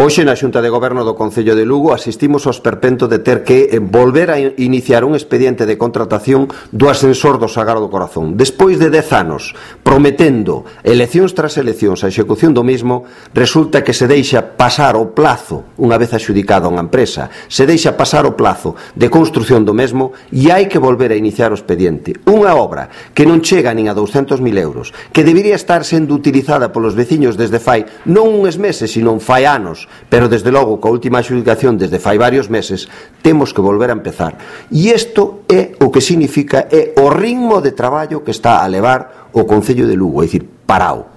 Hoxe na Xunta de Goberno do Concello de Lugo asistimos ao esperpento de ter que volver a iniciar un expediente de contratación do ascensor do Sagrado Corazón. Despois de 10 anos prometendo eleccións tras eleccións a execución do mismo, resulta que se deixa pasar o plazo, unha vez adxudicada unha empresa, se deixa pasar o plazo de construción do mesmo e hai que volver a iniciar o expediente. Unha obra que non chega nin a 200.000 euros, que debería estar sendo utilizada polos veciños desde fai non uns meses, sino fai anos, pero desde logo coa última adxudicación desde fai varios meses temos que volver a empezar, e isto é o que significa, é o ritmo de traballo que está a levar o Concello de Lugo, é dicir, parao.